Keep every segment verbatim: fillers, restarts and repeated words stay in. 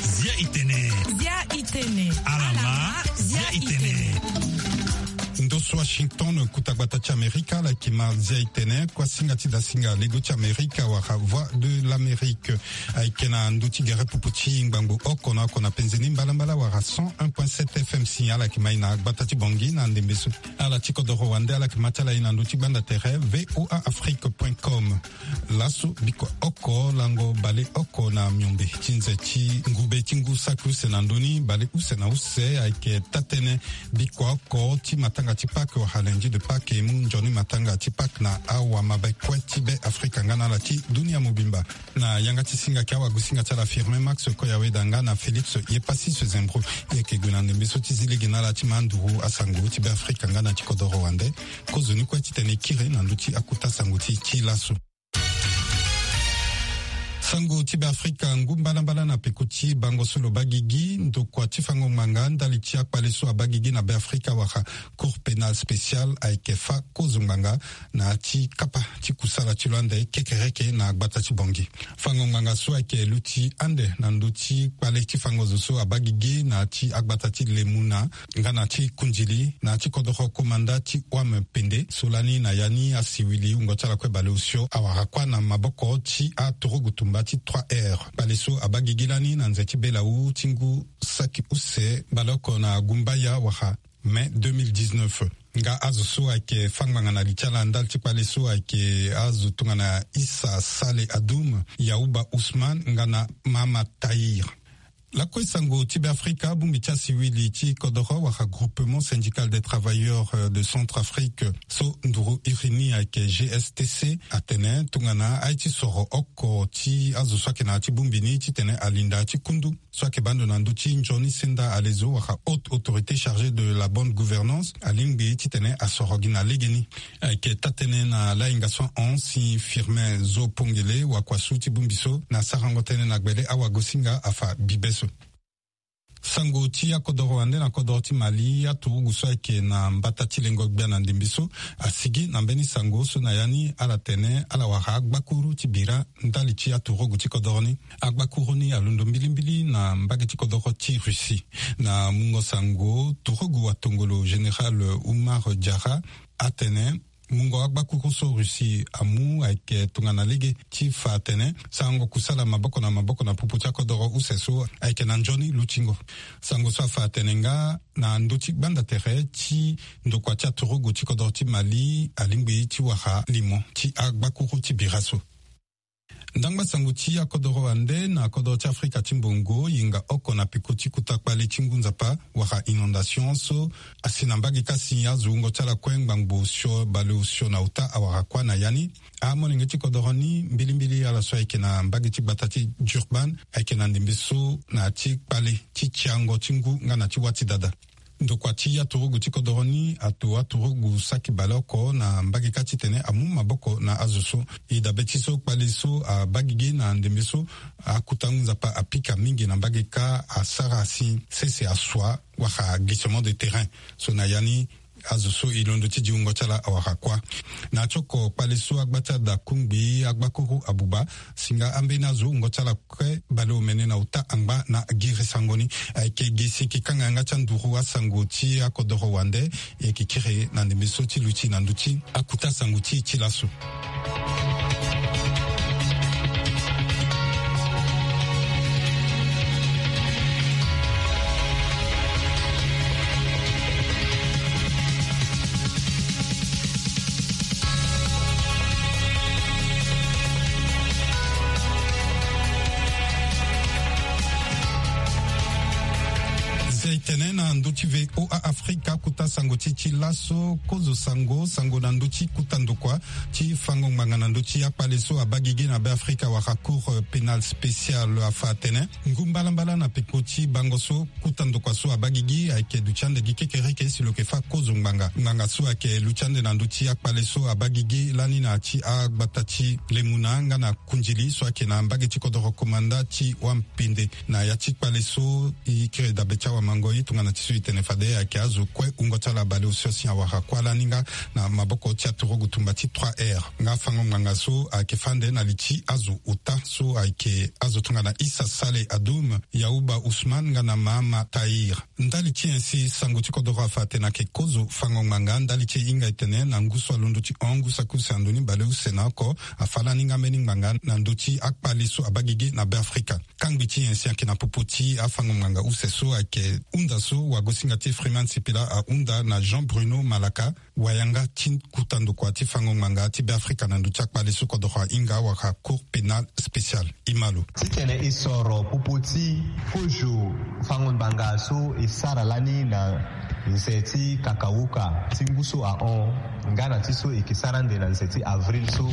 Zia itene. Zia itene. Alama. Zia itene. Ndo so Washington, kuta gbata ti Amerika, ala yeke ma zia itene, kuasinga ti dasinga lego ti Amerika wala Voix de l'Amérique. Ayeke na ndo ti gere pupu ti ngbangbo oko na oko na penze ni mbalambala wala cent un point sept F M si ala yeke ma e na gbata ti Bangui na ndembe so. Ala ti kodoro wande ala yeke ma ti ala e na ndo ti gbanda tere V O A Afrique point com. Laso bikua oko lango bale oko na miombe ti nze ti ngube ti ngu saki use na ndö ni bale use na use ayeke taa-tënë bikua oko ti matanga ti Pâques wala lundi de Pâques e mu nzoni matanga ti Pâques na awamabe kue ti Be Afrika nga na ala ti dunia mobimba. Na yanga ti singa ayeke awagosinga ti ala Firmin Max Koyaweda nga na Félix Yepassis Zembro. E yeke gue na ndembe so ti zi lege na ala ti ma nduru asango ti Be Afrika nga na ti kodoro wande. Kozoni kue titene e kiri na ndö ti akota sango ti e ti laso. Sango ti Be Afrika. Ngu mbalambala na peko ti bango so lo baa gigi, ndokua ti fango ngbanga ndali ti akpale so abaa gigi na Be Afrika wala Cour pénale spéciale ayeke fâ kozo ngbanga na ya ti kapa ti kusala ti lo ande kekereke na gbata ti Bangui. Fango ngbanga so ayeke luti ande na ndö ti kpale ti fango zo so abaa gigi na ya ti agbata ti Lemuna nga na ti Kundili na ya ti kodoro komanda ti Wam Pende so lani na ya ni asiwili wungo ti ala kue baleosio awara kuâ na maboko ti aturugu tumba ti trois R. Kpale so abaa gigi lani na nze ti belawu ti ngu saki use baleoko na Gumbaya wala mai deux mille dix-neuf. Nga azo so ayeke fâ ngbanga na li ti ala ndali ti kpale so ayeke azo tongana Issa Saleh Adoum, Yauba Ousmane nga na Mahamat Tahir. Lakue sango ti Be Afrika, bongbi ti asiwili ti kodoro wala Groupement Syndical des Travailleurs, euh, de Centrafrique so nduru iri ni ayeke G S T C atene tongana aye ti soro oko ti azo so ayeke na ya ti bongbi ni titene alinda ti kundu so ayeke baa ndo na ndö ti nzoni senda alezo wala Haute Autorité chargée de la bonne gouvernance alingbi titene asoro gi na legeni. Ayeke taa-tënë na lahinga so ahon si Firmin Zo Pongele, wakuasu ti bongbi so, na sarango tënë na gbele awagosinga afa bibe so. Sango ti akodoro wande na kodoro ti Mali, aturugu so ayeke na mbata ti lengo gbia na ndembe so asigi na mbeni sango so na ya ni ala tene ala wara agbakuru ti bira ndali ti aturugu ti kodoro ni. Agbakuru ni alondo mbilimbili na mbage ti kodoro ti Russie. Na mungo sango, turugu watongolo général Oumar Diarra atene mungo agbakuru so Russie amu ayeke tongana lege ti fa atene sarango kusala maboko na maboko na popo ti akodoro use so ayeke na nzoni lutingo. Sango so afa atene nga na ndö ti gbanda tere ti ndokua ti aturugu ti kodoro ti Mali alingbi ti wara limo ti agbakuru ti bira so. Ndangba sango ti akodoro wande na kodoro ti Afrika ti mbongo, yenga oko na peko ti kota kpale ti ngu nzapa wala inondation so asi na mbage kâ si azo wungo ti ala kue ngbangbo osio baleosio na ota awara kuâ na ya ni. Amolenge ti kodoro ni mbilimbili ala so ayeke na mbage ti gbata ti Durban ayeke na ndembe so na ya ti kpale ti tiango ti ngu nga na ti wâ ti dada. Ndokua ti aturugu ti kodoro ni ato aturugu saki baleoko na mbage kâ titene amu maboko na azo so. E dabe ti so kpale so abaa gigi na ndembe so, akuta ngu nzapa apika mingi na mbage kâ asara si sese asua wala glissement de terrain. So na ya ni azo so e londo ti di wungo ti ala awara kuâ. Na ti oko kpale so agba ti ada kungbi agbakuru abuba, si nga ambeni azo wungo ti ala kue baleomene na ota angba na giri sango ni. Ayeke gi si e yeke kanga yanga ti anduru asango ti akodoro wande. E yeke kiri na ndembe so ti luti na ndö ti akuta sango ti e ti laso. Zia e tene na ndö ti V O A Afrika, kuta sango ti e ti laso, kozo sango, sango na ndö ti kuta ndokua ti fango ngbanga na ndö ti akpale so abaa gigi na Be Afrika wala Cour pénale spéciale afa atene ngu mbalambala na peko ti bango so kuta ndokua so abaa gigi ayeke duti ande gi kekereke si lo yeke fâ kozo ngbanga. Ngbanga so ayeke luti ande na ndö ti akpale so abaa gigi lani na ya ti agbata ti Lemuna nga na Kundili so ayeke na mbage ti kodoro komanda ti Wampende. Na ya ti kpale so e kiri dabe ti awamango Ni tongana ti so e tene fade ayeke azo kue wungo ti ala baleosio si awara kuâ lani nga na maboko ti aturugu tumba ti trois R. Nga fango ngbanga so ayeke fâ ande na li ti azo ota so ayeke azo tongana Issa Saleh Adoum, Yauba Ousmane nga na Mahama Tahir. Ndali ti nyen si sango ti kodoro afa atene ayeke kozo fango ngbanga? Ndali ti e hinga e tene na ngu so alondo ti hon ngu saki use na ndoni baleuse na oko, afa lani nga mbeni ngbanga na ndö ti akpale so abaa gigi na Beafrika. Kangbi ti nyen si ayeke na popo ti afango ngbanga use so ayeke hunda so wagosinga ti Freeman Sipila ahunda na Jean Bruno Malaka, wayanga ti kuta ndokua ti fango ngbanga ti Beafrika na ndö ti akpale so kodoro ahinga wala Cour pénale spéciale. E ma lo. Titene e soro popo ti kozo fango ngbanga so e sara lani na nze ti kakauka ti ngu so ahon nga na ti so e yeke sara ande na nze ti avril so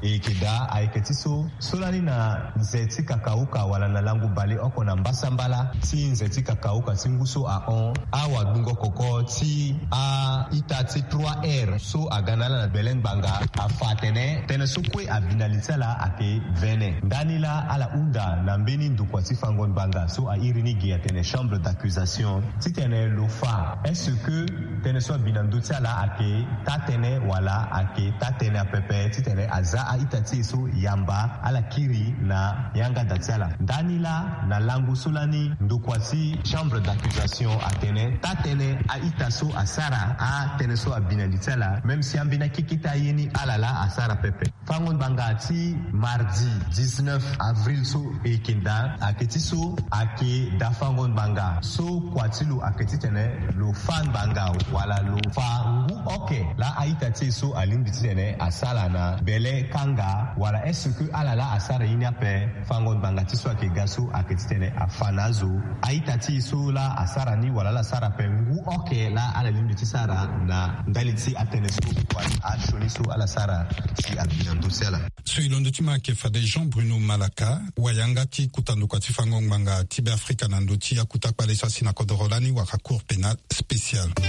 e yeke daa, ayeke ti so so lani na nze ti kakauka wala na lango baleoko na mbasambala ti nze ti kakauka ti ngu so ahon, awagbungo koko ti a-ita ti trois R so aga na ala na bele ngbanga afa atene tënë so kue abi na li ti ala ayeke vene. Ndani laa ala hunda na mbeni ndokua ti fango ngbanga so a iri ni gi atene chambre d'accusation titene lo fa est-ce que tënë so abi na ndö ti ala ayeke taa-tënë wala ayeke taa-tënë apepe, titene aza a-ita ti e so yamba ala kiri na yanga da ti ala. Ndani laa na lango so lani ndokua ti chambre d'accusation atene taa-tënë a-ita so asara atënë so abi na li ti ala, même si ambeni akeketa ye ni ala laa asara pepe. Fango ngbanga ti mardi dix-neuf avril so e yeke ndaa ayeke ti so ayeke daa fango ngbanga so kua ti lo ayeke titene lo fâ ngbanga wala lo fa ngu oke laa a-ita ti e so alingbi titene asara na bele kanga wala est-ce que ala laa asara ye ni ape? Fango ngbanga ti so ayeke ga so ayeke titene afa na azo a-ita ti e so laa asara ni wala ala sara ape ngu oke laa ala lingbi ti sara na ndali ti atënë so wala asioni so ala sara si abi na ndö ti ala. So e londo ti ma ayeke fade Jean Bruno Malaka, wayanga ti kuta ndokua ti fango ngbanga ti Beafrika na ndö ti akuta kpale so asi na kodoro lani wala Cour pénale spéciale. E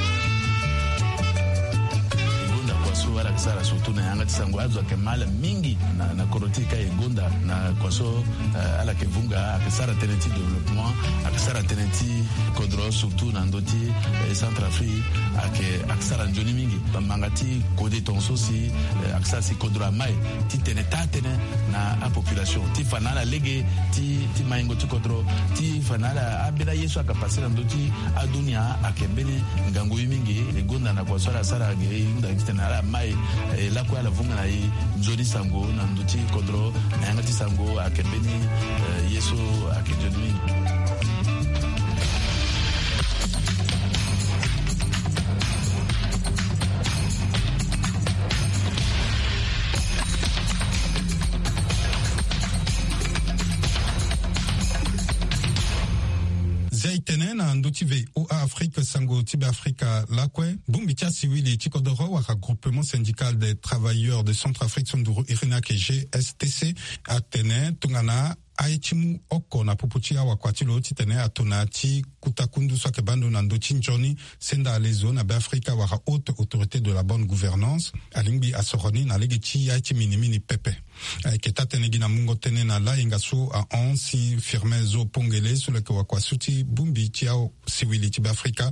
gonda kua so ala yeke sara surtout na yanga ti sango, azo ayeke ma ala mingi na, na kodro ti e ka e gonda na kua so, eh, ala yeke vunga, ayeke sara tënë ti développement, ayeke sara tënë ti kodro surtout na ndö ti, eh, Centrafrique, ayeke, ayeke sara nzoni mingi. Bambanga ti kode tongaso si, eh, ayeke sara si kodro amai titene taa-tënë na apopulation ti fa na ala lege ti, ti maingo ti kodro, ti fa na ala ambeni aye so ayeke pase na ndö ti adunia ayeke mbeni ngangu ye mingi. E gonda na kua so ala sara ge e hunda titene ala mai, eh, lakue ala vunga na e nzoni sango na ndö ti kodro na yanga ti sango ayeke mbeni, eh, ye so ayeke nzoni mingi. Zia e tene na ndö ti V O A Afrique, sango ti Beafrika lakue, bongbi ti asiwili ti kodoro wala Groupement Syndical des Travailleurs de Centrafrique so nduru iri ni ayeke G S T C atene tongana aye ti mu oko na popo ti awakua ti lo titene atona ti kuta kundu so ayeke baa ndo na ndö ti nzoni senda alezo na Beafrika wala Haute Autorité de la Bonne Gouvernance, alingbi asoro ni na lege ti aye ti minimini pepe. Ayeke taa-tënë gi na mungo tënë na layenga so ahon si Firmin Zo Pongele so lo yeke wakua so ti bongbi ti asiwili ti Beafrika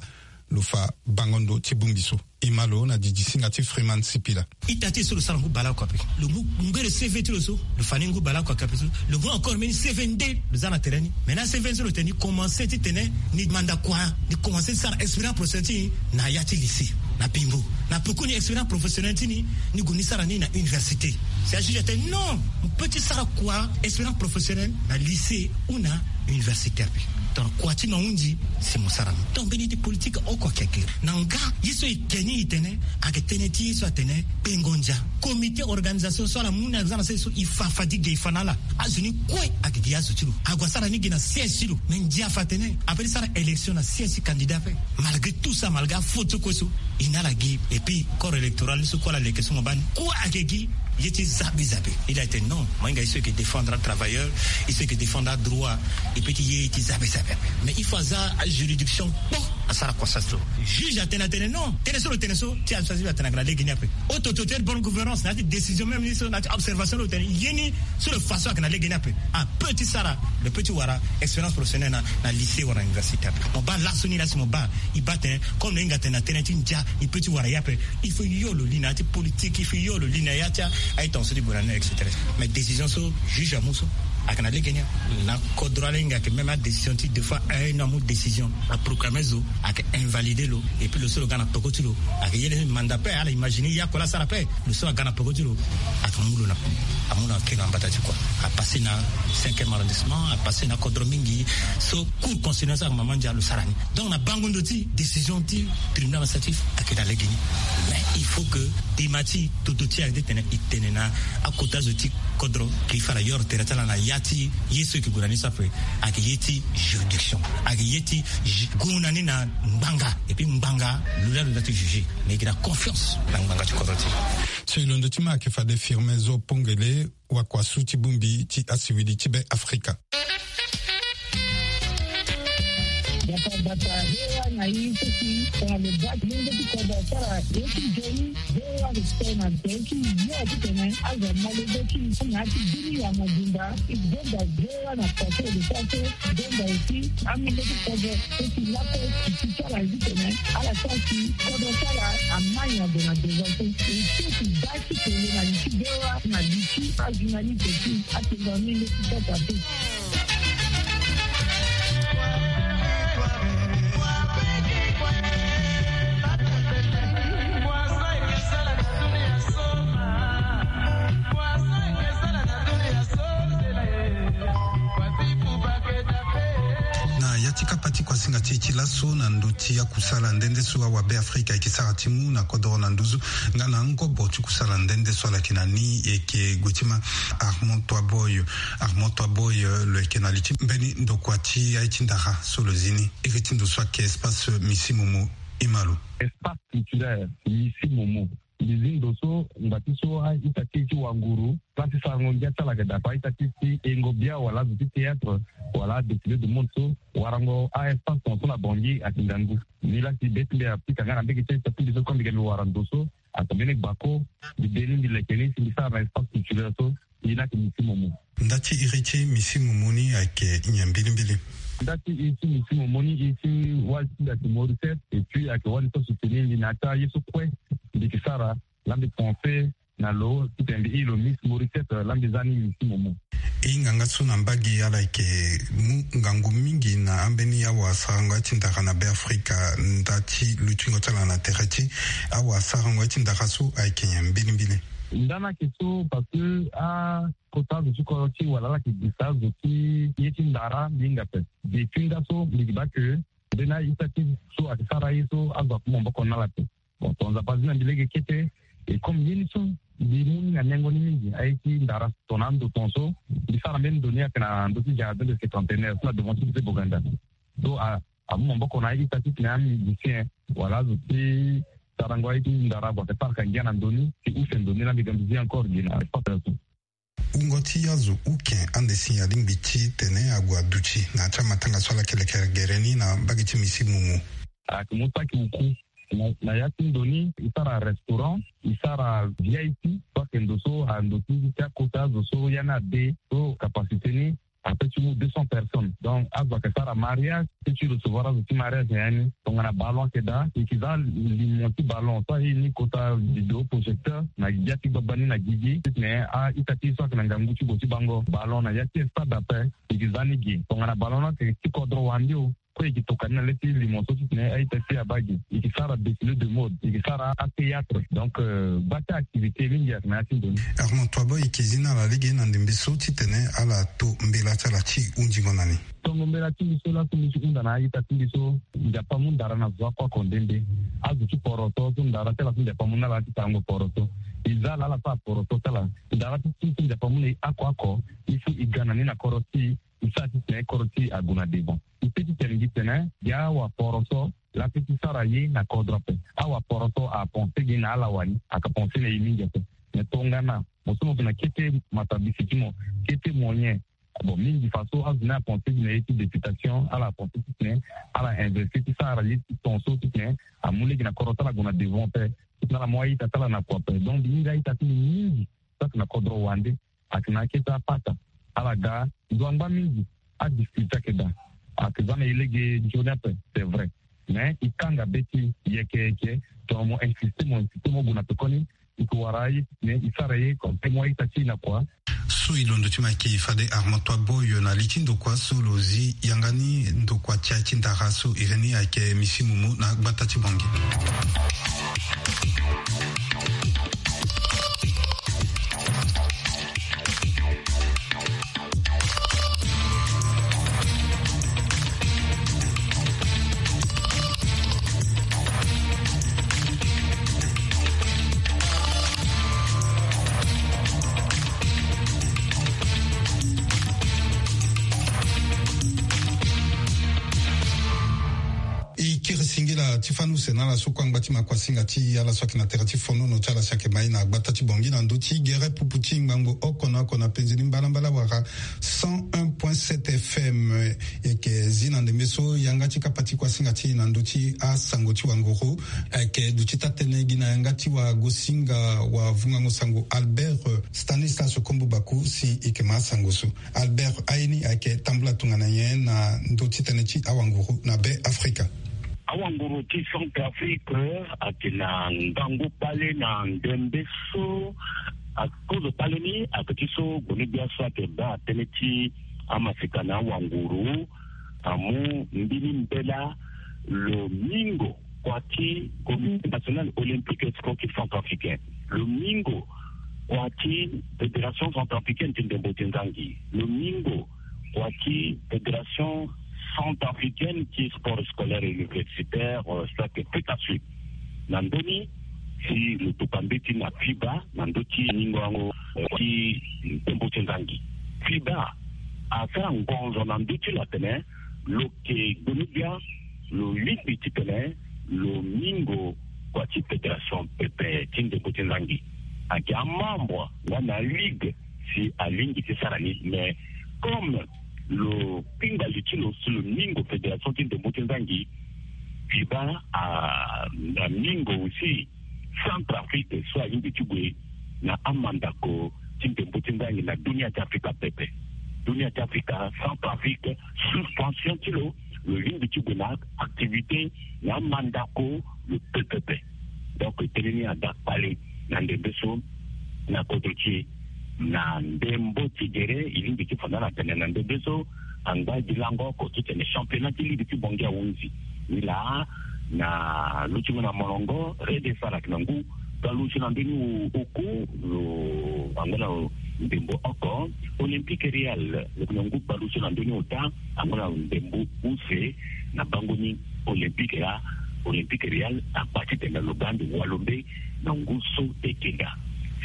lo fa bango ndo ti bongbi so. E ma lo na didi singa ti Freeman Sipila. Ita ti e so lo sara ngu baleoko ape. Lo mu ngbe lo C V ti lo so, lo fa ni ngu baleoko ape so. Lo mu encore mbeni C V nde lo za na tere ni. Mais na C V ni so lo tene ni commencé titene ni manda kua, ni commencé ti sara expérience professionnelle ti ni na ya ti lycée, na Bimbo. Na peko ni expérience professionnelle ti ni, ni gue ni sara ni na université. Si ajuge atene non, mo peut ti sara kua expérience professionnelle na lycée ou na université ape. Donc kua ti mo ahunzi si mo sara ni. Donc mbeni ti politique oko ayeke na nga ye so e ke ni e tene ayeke tënë ti ye so atene kpengo ndia. Comité organisation so ala mu ni aza na se so e fa fadiga e fa na ala. Azo ni kue ayeke gi azo ti lo. Ague asara ni gi na siège ti lo. Me ndia afa atene ape ti sara élection na siège ti candidat ape. Malgré tout ça, malgré afaute so kue so e na ala gi. Et puis corps électoral ni so kue ala leke so mo baa ni kue ayeke gi. Ye ti zabe zabe. Il a été non, mo hinga ye so yeke défendre atravailleur, ye so yeke défendre adroit. E peut ti ye ti zabe zabe. Mais il faut aza ajuridiction kpo. Asara croissance lo. Juge atene atene non, tënë so lo tene so ti administration atene ayeke na lege ni ape. Haute autorité de bonne gouvernance na ya ti décision même ni so na ya ti observation lo tene ye ni. Sur le façon ayeke na lege ni ape. Ape ti sara lo peut ti wara expérience professionnelle na, na lycée wala na université ape. Mo baa laso ni la si mo baa e baa tene comme lo hinga tene na tënë ti ndia e peut ti wara ye ape. Il faut yo lo li na ya ti politique, il faut yo lo li na ya ti aye tonga so ti gue na ni, et cetera. Mais décision so juge amu so ayeke na lege ni. Na kodro ala hinga ayeke même adécision ti deux fois un an amu décision, aproclame zo, ayeke invalidé lo. Et puis lo so lo ga na peko ti lo ayeke ye ni manda pe ala imaginer ye oko la asara pe. Lo so aga na peko ti lo ayeke mu lo na, amu lo na keno na mbata ti kua. Apassé na cinquième arrondissement, apassé na kodro mingi. So cour constitutionnelle so ayeke mama ndia lo sara ni. Donc na bango ndo ti décision ti tribunal administratif ayeke na lege ni. Mais il faut que dema ti toto ti ayeke ti tene e tene na akota zo ti kodro ke e fa na yoro tere ti ala na ya ti ye so e ke gue na ni so ape. Ayeke ye ti juridiction, ayeke ye ti ju- gue na ni na ngbanga. Et puis ngbanga lo la lo la ti juger. Mais e ke na confiance na ngbanga ti kodro ti e. So e londo ti ma ayeke fade firme zo pongele wakua su ti bongbi ti asiwili ti be afrika. Bata bata hewa na ye so si tongana lo baa ti lenge ti kodro asara ye ti joni. Hewa lo tene na tere ti yo ti tene azo amolenge ti na ya ti bini ya mobimba. E donda hewa na poto lo sara so donda aussi amolenge ti kodro so si laso e ti ti ti ala ye ti tene ala sara si kodro ti ala amai na gue na devant so. E ti ti baa ti kele na li ti hewa na li ti ajournaliste ti atengua amolenge ti kota so. Na ya ti kapa ti kuasinga ti e ti laso na ndö ti akusala nde nde so awabe afrika ayeke sara ti mu na kodoro na nduzu nga na ngobo ti kusala nde nde so ala yeke na ni e yeke gue ti ma Armand Toiboy. Armand Toiboy, euh, lo yeke na li ti mbeni ndokua ti aye ti ndara so lo zi ni iri ti ndo so ayeke espace Misi Momo. E ma lo. Espace culturel Misi Momo. Mbi zi ndo so ngba ti so a-ita ti e ti wanguru, place ti sarango ngia ti ala ayeke daa ape, a-ita ti e ti hengo bia wala azo ti théâtre wala adéfilé du monde so warango a-espace tongaso na Bangui ayeke ngangu. Ni la si be ti mbi apika nga na mbege ti a-ita ti mbi so comme mbi ga mbi wara ndo so, ata mbeni gbako mbi de ni mbi leke ni si mbi sara na espace culturel so. Ye ni ayeke Misi Momo. Nda ti iri ti Misi Momo ni ayeke nyen mbilimbili? Nda ti iri ti Misi Momo ni, iri ti wali ti mbi ayeke Mauricette, et puis ayeke wali so asoutenir mbi na ya ti aye so kue mbi yeke sara. La mbi pense na lo titene mbi iri lo Miss Mauricette, la mbi za ni Misi Momo. E hinga nga so na mbage ala yeke mu ngangu mingi na ambeni awasarango ya ti ndara na Beafrika, nda ti lutingo ti ala na tere ti awasarango ya ti ndara so ayeke nyen mbilimbili? Nda ni ayeke so parce que akota azo ti kodro ti e wala ala yeke gisa azo ti ye ti ndara mbi hinga ape. Depuis nga so mbi yeke baa ke mbeni a-ita ti e so ayeke sara aye so azo aku maboko na ala ape. Bon, tongana Nzapa azi na mbi lege kete, et comme ye ni so mbi mu ni na nengo ni mingi, aye ti ndara tongana ando tongaso mbi sara mbeni ndo ni ayeke na ndö ti jardin de cinquantenaire so na devant ti lycée Boganda. So a amu maboko na a-ita titene amusicien wala azo ti sarango aye ti ndara ague ayeke paraka ngia na ndo ni ti use ndo ni la mbi ga mbi zi encore gi na espace so. Wungo ti azo uke ande si alingbi titene ague aduti na ya ti amatanga so ala yeke leke gere ni na mbage ti Misi Momo. Ayeke mu saki uku na, na ya ti ndo ni, e sara restaurant, e sara V I P, so ayeke ndo so ando ti, ti akota azo so ya ni ade so capacité ni ape ti mu deux cents personnes. Donc azo ayeke sara mariage, ti recevoir azo ti mariage na ya ni. Tongana ballon ayeke daa, e yeke za limo ti ballon so aye ni kota vidéo projecteur na gbia ti gbagba ni na gigi titene a-ita ti e so ayeke na ngangu ti gue ti bango ballon na ya ti stade ape, e yeke za ni gi. Tongana ballon ni ayeke ti kodro wande o, kue e yeke toka ni na le ti limo so titene a-ita ti e abaa gi. E yeke sara défilé de mode, e yeke sara athéâtre. Donc, euh, gba ti activité mingi ayeke na ya ti ndo ni. Armand Toiboy, e yeke zi na ala lege na ndembe so titene ala to mbela ti ala ti hunzingo na ni. Tongo mbela ti mbi so laso mbi ti hunda na a-ita ti mbi so, Nzapa amu ndara na zo oko oko nde nde. Azo ti poroso so ndara ti ala so Nzapa amu na ala ti sarango poroso. E za ala ala sara poroso ti ala. Ndara ti e so Nzapa amu na e oko oko, il faut e ga na ni na kodro ti e, e sara titene kodro ti e ague na devant. E peut ti tene gi tene gi awaporoso la peut ti sara ye na kodro ape. Awaporoso apenser gi na ala wani, ayeke penser na e mingi ape. Mais tongana mo so mo yeke na kete matabisi ti mo, kete moyen. Bon, mingi faso azo ni apense ti na ye ti députation, ala apense ti tene ala investir ti sara ye ti ton so ti tene amu lege na kodro ti ala gue na devant pe, ti tene ala mu a-ita ti ala na kua pe. Donc mbi hinga a-ita ti mbi mingi so ayeke na kodro wande, ayeke na akete apata. Ala ga ndo angba mingi. Adifficulté ayeke daa. Ayeke za na e lege nzoni ape, c'est vrai. Mais e kanga be ti e yeke yeke. Tongana mo insiste mo insiste mo gue na pekoni, e yeke wara aye ti tene e sara ye comme témoin ita ti e na kua. So e londo ti mo ayeke fade Armand Toit Boy na li ti ndokua so lo zi yanga ni ndokua ti aye ti ndara so iri ni ayeke Misi Moumou na gbata ti Bangui. E kiri singila ti fani use na ala so kue angba ti makuasinga ti ala so ayeke na tere ti fonono ti ala si ayeke ma e na gbata ti Bangui na ndö ti gere pupu ti ngbangbo oko na oko na penze ni mbalambala wala cent un point sept F M. E yeke zi na ndembe so yanga ti kapa ti kuasinga ti e na ndö ti asango ti wanguru ayeke duti taa-tënë gi na yanga ti wagosinga wavungango sango Albert Stanislas Kombo Baku si e yeke ma asango so. Albert, aye ni ayeke tambula tongana nyen na ndö ti tënë ti awanguru na Be Afrika? Awanguru ti Centrafrique ayeke na ngangu kpale na ndembe so. Akozo kpale ni ayeke ti so gboni-gbia so ayeke baa tënë ti amaseka na awanguru amu mbeni mbela lo mingo kua ti Comité National Olympique et Sportif Centrafricain, lo mingo kua ti Fédération Centrafricaine ti ndembo ti nzangi, lo mingo kua ti Fédération Centrafricaine ti Sport Scolaire et Universitaire, euh, so ayeke FECASUP. Na ndö ni si lo tuka mbeti na FIBA na ndö ti ningo yango, euh, ti ndembo ti nzangi. FIBA asara ngonzo na ndö ti lo atene lo yeke gboni-gbia lo lingbi titene lo mingo kua ti fédération pepe ti ndembo ti nzangi. Ayeke amembre nga na aligue si alingbi ti sara ni, mais comme lo kpinga li ti lo si lo mingo fédération ti ndembo ti nzangi, FIBA a, amingo aussi Centrafrique so alingbi ti gue na amandako ti ndembo ti nzangi na dunia ti Afrika pepe. Dunia ti Afrika, Centrafrique, suspension ti lo, lo lingbi ti gue na activité na amandako lo pepepe. Donc tënë ni ada kpale na ndembe so na kodro ti e. Na ndembo ti gere e lingbi ti fa na ala tene na ndembe so angba gi lango oko titene championnat ti ligue ti Bangui ahunzi. Ni laa na lutingo na molongo, Red Star ayeke na ngu baleuse na mbeni oku, lo angba na ndembo oko. Olympique Real lo yeke na ngu baleuse na mbeni ota, angba na ndembo use. Na bango ni Olympique laa, Olympique Real akpa titene lo ga ande walo mbe na ngu so e yeke ga.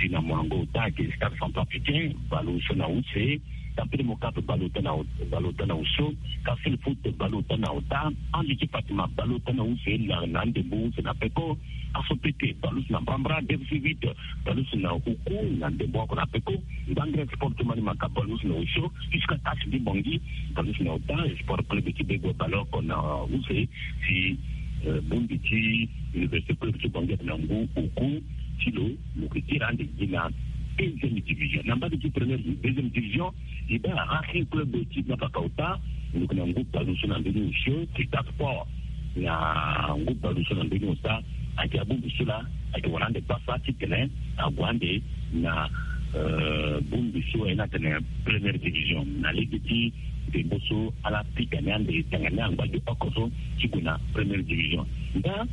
Si na molongo ota ayeke Stade Centrafricain baleuse na use, Tampere Mokap baleota na, baleota na osio, Castel Foot baleota na ota, Ange ti Fatima baleota na use laa na andembo use na peko, Aso Pete baleuse na mbrambra, F C huit baleuse na oku na ndembo oko na peko, Ngbangre Sport ti Manimaka baleuse na osio, Jusqu'à Tache ti Bangui baleuse na ota, Sport Club ti Bego baleoko na use, si, euh, Bumbi ti Université Club ti Bangui ayeke na ngu oku ti lo, lo yeke tira ande gi na deuxième division. Na mbage ti première, deuxième division, e baa Racing Club ti Mafaka ota, lo yeke na ngu baleuse na mbeni osio, Kita Sport na ngu baleuse na mbeni ota. Ayeke abongbi so laa ayeke wara ande pasa titene ague ande na, euh, bongbi so ayeke na tene première division na lege ti ndembo so ala pika ni ande tanga ni angba gi oko so ti gue na première division. Nga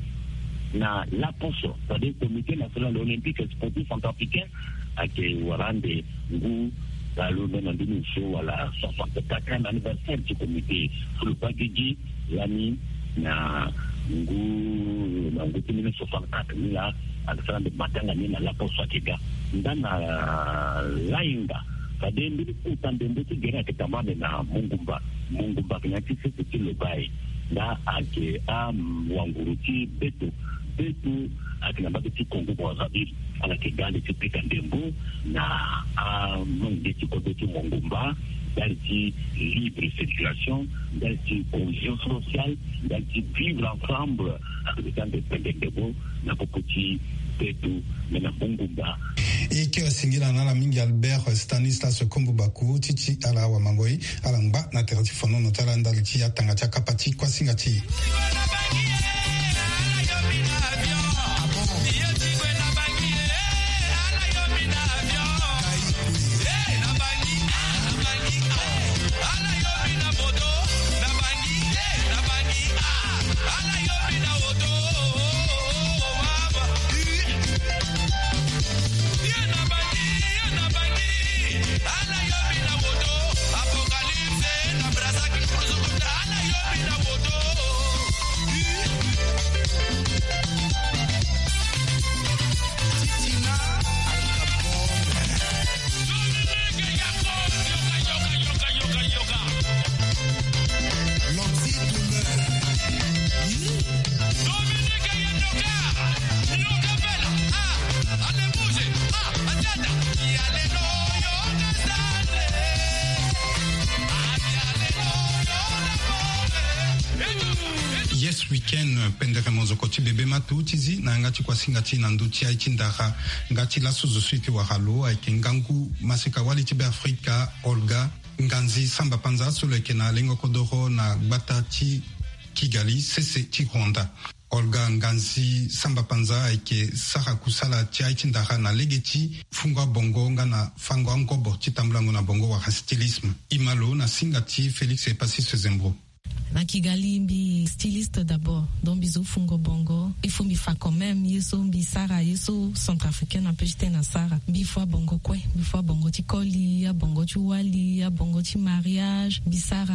na laposo, c'est-à-dire Comité National Olympique et Sportif Centrafricain ayeke wara ande ngu baleuse na mbeni osio wala soixante-quatrième anniversaire ti comité so lo baa gigi lani na ngu, na ngu ti mille neuf cent soixante-quatre ni laa, ayeke sara ande matanga ni na laposo ayeke ga. Nga na lahinga, fade mbeni kota ndembo ti gere ayeke tambula ande na Mongumba. Mongumba ayeke na ya ti sese ti Lobaye. Nga ayeke awanguru ti Beto. Beto ayeke na mbage ti Congo Brazzaville. Ala yeke ndali ti pika ndembo na amange ti kodro ti mongumba, ndali ti libre circulation, ndali ti cohésion sociale, ndali ti vivre ensemble. Ake ande pende ndembo na popo ti beto me na mongumba. E yeke singila na ala mingi Albert Stanislas Kombo Baku ti ti ala wamangoi ala ngba na tere ti fonono ti ala ndali ti atanga ti akapa ti kuasinga ti e. Yes Weekend, pendere monzoko ti bebe matu ti zi na yanga ti kuasinga ti na ndö ti aye ti ndara. Nga ti laso zo so e yeke wara lo ayeke ngangu maseka wali ti Beafrika, Olga Nganzi Samba Panza, so lo yeke na lengo kodoro na gbata ti Kigali, sese ti Rwanda. Olga Nganzi Samba Panza ayeke sara kusala ti aye ti ndara na lege ti fungo abongo nga na fango angobo ti tambulango na bongo wala stylisme. E ma lo na singa ti Félix Epasis Zembro. Na Kigali, mbi styliste d'abord, donc mbi zo fungo bongo. Il faut mbi fa quand même ye so mbi sara, ye so centrafricaine ape ti tene asara. Mbi fua bongo kue, mbi fua bongo ti koli, abongo ti wali, abongo ti mariage. Mbi sara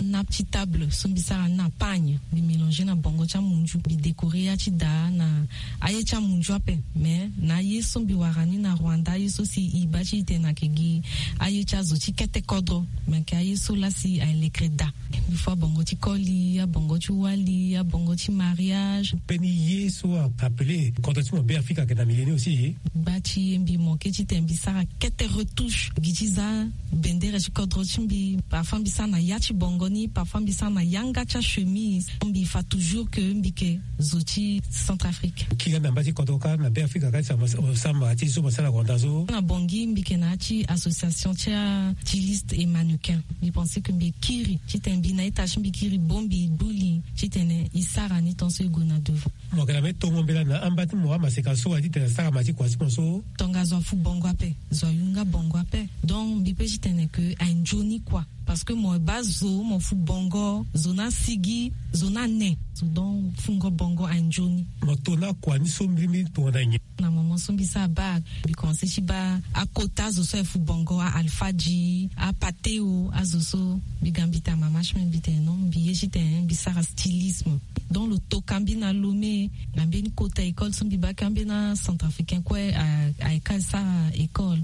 nappe ti table, so mbi sara na pagne. Mbi mélanger na bongo ti amunzu, mbi décorer ya ti da na aye ti amunzu ape. Mais na aye so mbi wara ni na Rwanda, aye so si e baa ti e tene ayeke gi aye ti azo ti kete kodro. Me ayeke aye so laa si aye lekere daa. Mbi fua bongo ti koli, abongo ti wali, abongo ti mariage. Mbeni ye so a appelé kodro ti mo Beafrika ayeke na milieu ni aussi. Gba ti e mbi manqué ti tene mbi sara kete retouche gi ti za bendere ti kodro ti mbi. Parfois mbi sara na ya ti bongo ni, parfois mbi sara na yanga ti achemise. Mbi fa toujours que mbi yeke zo ti Centrafrique. Kiri na mba ti kodro kâ na Beafrika kâ ti sama, sama ti so mo sara Rwanda so. Na Bangui mbi yeke na ya ti association ti styliste et mannequin. Mbi pensé que mbi kiri ti tene mbi na ita ti mbi kiri bongbi, buli ti tene e sara ni tant so e gue na devant. Mo yeke na mbeni tongo mbela na amba ti mo amaseka so aye ti tene asara ma ti kua ti mo so. Tonga zo afu bongo ape, zo ayu nga bongo ape. Donc mbi pe ti tene que aye nzoni kua. Parce que mo baa zo, mo fu bongo, zo ni asigi, zo ni ane. Zo donc fungo bongo aye nzoni. Mo to na kua ni so mbirimbiri tongana nyen? Na moment so mbi sara bac, mbi commencé ti baa akota zo so aye fu bongo, a Alpha G, a Pateo, azo so. Mbi ga mbi tene mama ti mbi, mbi tene non, mbi ye ti tene mbi sara stylisme. Donc lo toka mbi na Lomé, na mbeni kota école so mbi baa kâ mbeni acentrafricain kue a, aye kâ sara école.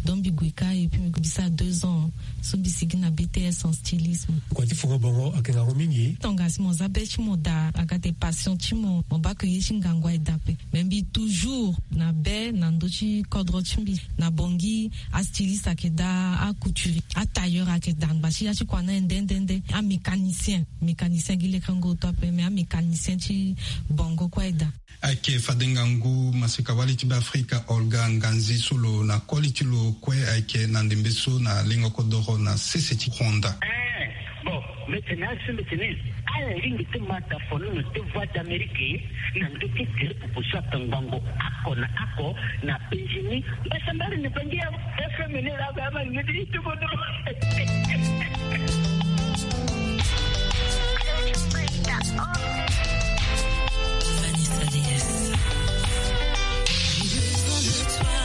Donc mbi gue kâ et puis mbi sara deux ans. So mbi sigi na B T S en stylisme. Kua ti fungo bongo ayeke ngangu mingi. Tonga si mo za be ti mo daa, aga ate passion ti mo, mo baa que ye ti ngangu aye daa ape. Mais mbi toujours na be na ndö ti kodro ti mbi. Na Bangui, astyliste ayeke daa, acouturier, atailleur ayeke daa. Ngba ti ya ti kua ni aye nde nde nde. Amécanicien, mécanicien gi lekerengo oto ape, mais amécanicien ti bongo kue aye daa. Ayeke fade ngangu maseka wali ti Beafrika Olga Nganzi so lo na koli ti lo kue ayeke na ndembe so na lengo kodoro na sese ti Rwanda. Eh, bon, mbi tene aye so mbi tene ala lingbi ti ma daa fonono ti Voix d'Amérique na ndö ti tere popo so atangbango oko na oko na Benjini. Mbasambala ni bangi ya F M ni la ba ma ngeti ti kodoro. Vanessa D S. J'ai besoin de toi.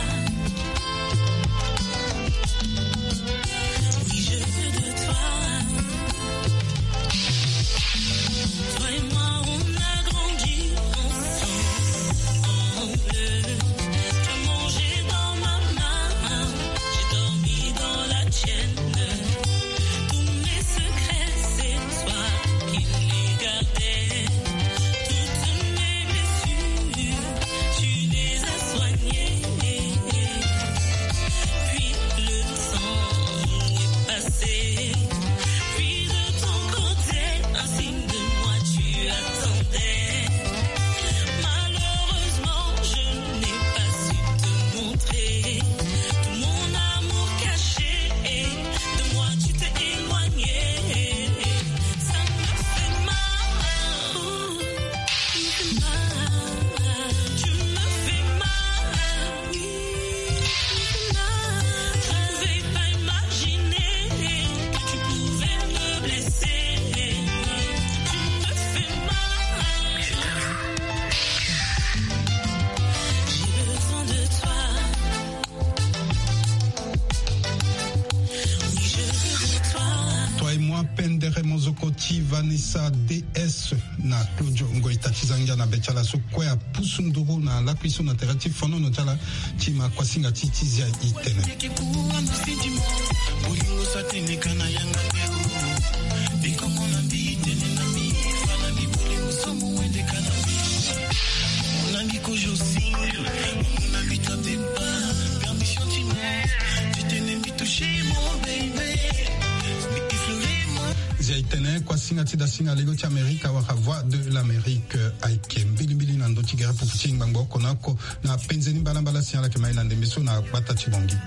Oui, je veux de toi. Toi et moi, on a grandi ensemble. Tu as mangé dans ma main, j'ai dormi dans la tienne. Ndere mozoko ti Vanessa D S na Claudio Ngoita ti za ngia na be ti ala so kue apusu nduru na lakui so na tere ti fonono ti ala ti ma kuasinga ti ti zia itene. Zia itene kuasinga ti dasinga lego ti Amerika wala Voix de l'Amérique, eh, ayeke mbilimbili na ndö ti gere pupu ti ngbangbo oko na oko na penze ni mbalambala si ala yeke ma e na ndembe so na gbata ti Bangui.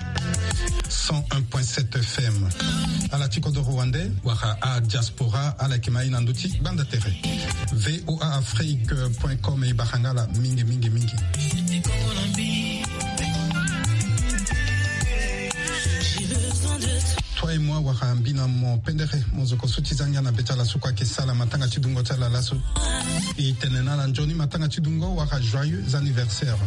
Cent un point sept F M. Ala ti kodoro wande wala adiaspora ala yeke ma e na ndö ti gbanda tere. V O A Afrique point com e bara nga ala mingi mingi mingi. Toi et moi wala mbi na mo pendere mozoko so ti za ngia na be ti ala so kue ayeke sala matanga ti dungo ti ala laso. E tene na ala nzoni matanga ti dungo wala joyeux anniversaire.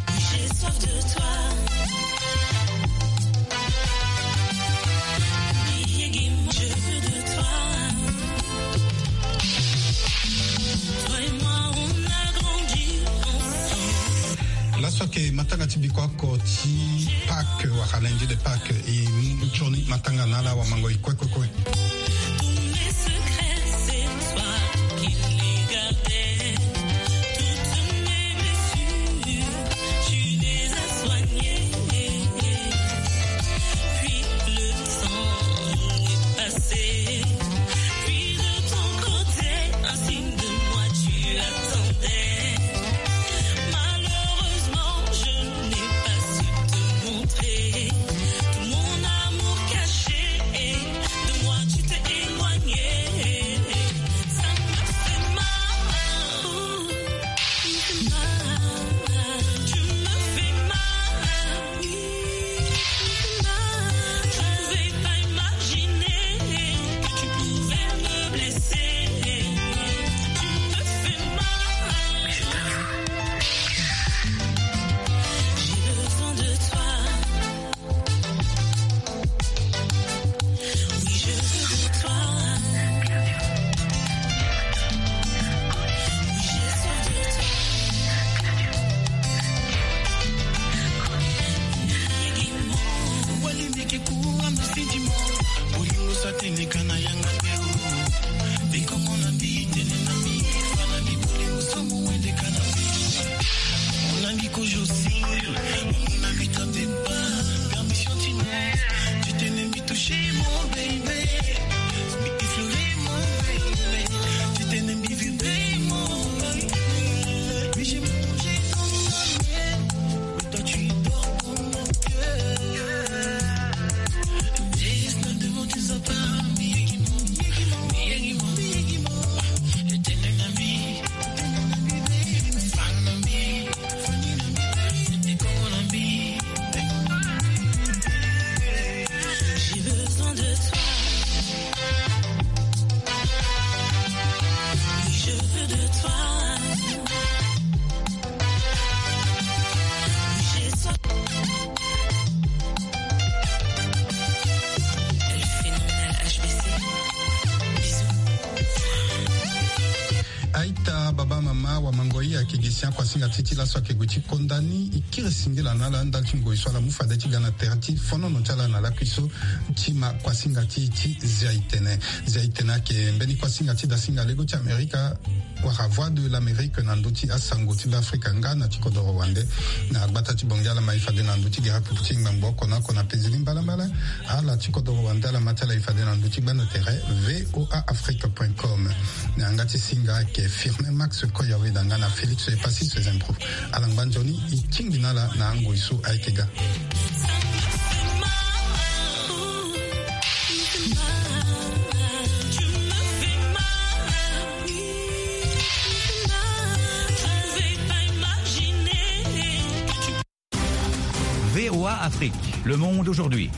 Laso ayeke matanga ti bikua oko ti Pâques wala lundi de Pâques, e mu nzoni matanga na ala wamango e kue kue kue. Aita, baba, mama, wamango, e ayeke gi si akuasinga ti e ti laso ayeke gue ti konda ni. E kiri singila na ala ndali ti ngoi so ala mu fade ti ga na tere ti fonono ti ala na lakui so ti ma kuasinga ti e ti zia itene. Zia itene ayeke mbeni kuasinga ti dasinga lego ti Amerika wala Voix de l'Amérique na ndö ti asango ti Beafrika nga na ti kodoro wande. Na gbata ti Bangui ala ma e fade na ndö ti gere pupu ti ngbangbo oko na oko na penze ni mbalambala. Ala ti kodoro wande ala ma ti ala e fade na ndö ti gbanda tere V O A Afrique point com. Na yanga ti singa ayeke Firmin Max Koyaweda nga na Félix Epassis Zembro. Ala ngba nzoni e tingbi na ala na angoi so ayeke ga. V O A Afrique, le monde aujourd'hui.